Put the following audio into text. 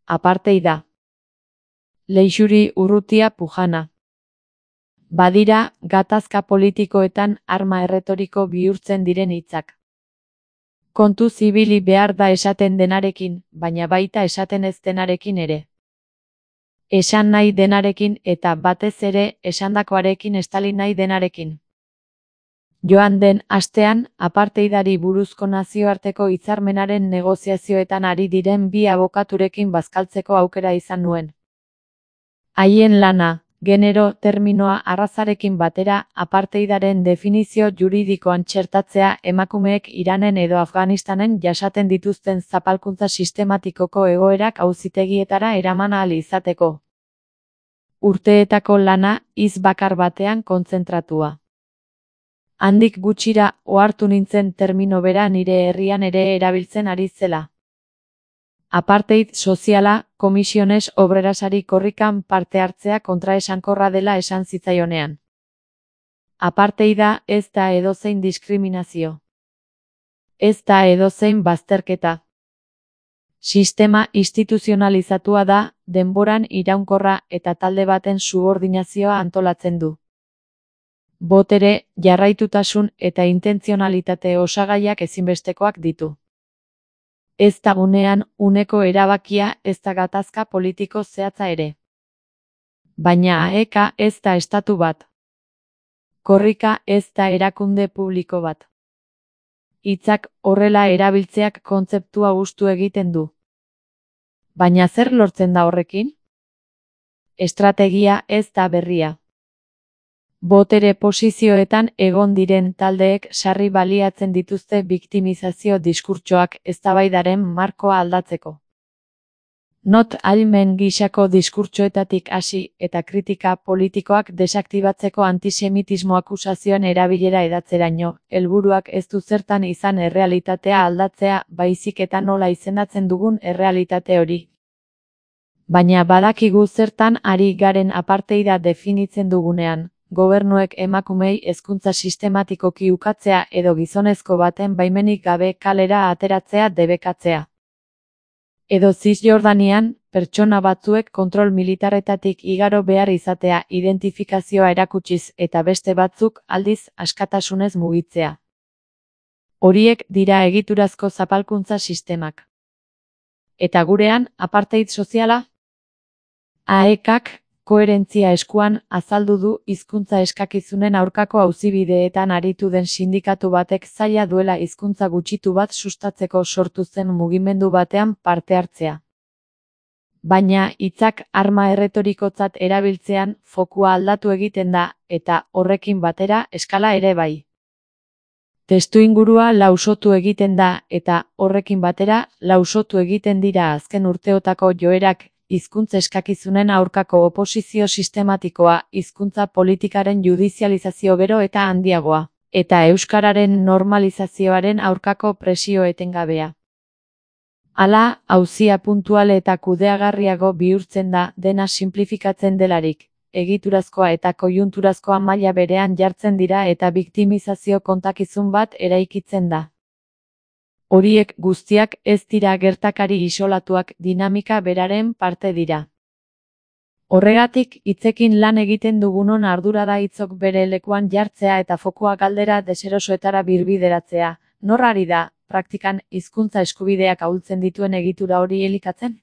aparteida. Leixuri Urrutia Pujana. Badira, gatazka politikoetan arma erretoriko bihurtzen diren hitzak. Kontu zibili behar da esaten denarekin, baina baita esaten ez denarekin ere. Esan nahi denarekin eta batez ere esandakoarekin estali nahi denarekin. Joan den astean, aparteidari buruzko nazioarteko hitzarmenaren negoziazioetan ari diren bi abokaturekin bazkaltzeko aukera izan nuen. Haien lana, genero terminoa arrazarekin batera aparteidaren definizio juridikoan txertatzea emakumeek Iranen edo Afganistanen jasaten dituzten zapalkuntza sistematikoko egoerak auzitegietara eraman ahal izateko. Urteetako lana hitz bakar batean kontzentratua. Handik gutxira ohartu nintzen termino bera nire herrian ere erabiltzen ari zela. Apartheid soziala, Komisiones Obrerasari korrikan parte hartzea kontraesankorra dela esan zitzaionean. Aparteida ez da edozein diskriminazio. Ez da edozein bazterketa. Sistema instituzionalizatua da, denboran iraunkorra eta talde baten subordinazioa antolatzen du. Botere, jarraitutasun eta intentzionalitate osagaiak ezinbestekoak ditu. Ez da unean uneko erabakia, ez da gatazka politiko zehatza ere. Baina AEK ez da estatu bat. Korrika ez da erakunde publiko bat. Hitzak horrela erabiltzeak kontzeptua hustu egiten du. Baina zer lortzen da horrekin? Estrategia ez da berria. Botere posizioetan egon diren taldeek sarri baliatzen dituzte biktimizazio diskurtsoak eztabaidaren markoa aldatzeko. Not ahalmen gisako diskurtsoetatik hasi eta kritika politikoak desaktibatzeko antisemitismo akusazioen erabilera edatzeraino, helburuak ez du zertan izan errealitatea aldatzea, baizik eta nola izendatzen dugun errealitate hori. Baina badakigu zertan ari garen aparteida definitzen dugunean. Gobernuek emakumei hezkuntza sistematikoki ukatzea edo gizonezko baten baimenik gabe kalera ateratzea debekatzea. Edo Zisjordanian, pertsona batzuek kontrol militarretatik igaro behar izatea identifikazioa erakutsiz eta beste batzuk aldiz askatasunez mugitzea. Horiek dira egiturazko zapalkuntza sistemak. Eta gurean, apartheid soziala? AEKak koherentzia eskuan azaldu du hizkuntza eskakizunen aurkako auzibideetan aritu den sindikatu batek zaila duela hizkuntza gutxitu bat sustatzeko sortu zen mugimendu batean parte hartzea. Baina hitzak arma erretorikotzat erabiltzean fokua aldatu egiten da eta horrekin batera eskala ere bai. Testuingurua lausotu egiten da eta horrekin batera lausotu egiten dira azken urteotako joerak. Hizkuntza eskakizunen aurkako oposizio sistematikoa, hizkuntza politikaren judizializazio gero eta handiagoa, eta euskararen normalizazioaren aurkako presio etengabea. Hala, auzia puntual eta kudeagarriago bihurtzen da dena sinplifikatzen delarik, egiturazkoa eta koiunturazkoa maila berean jartzen dira eta biktimizazio kontakizun bat eraikitzen da. Horiek guztiak ez dira gertakari isolatuak, dinamika beraren parte dira. Horregatik, hitzekin lan egiten dugunon ardura da hitzok bere lekuan jartzea eta fokua galdera deserosoetara birbideratzea. Nor ari da, praktikan, hizkuntza eskubideak ahultzen dituen egitura hori elikatzen?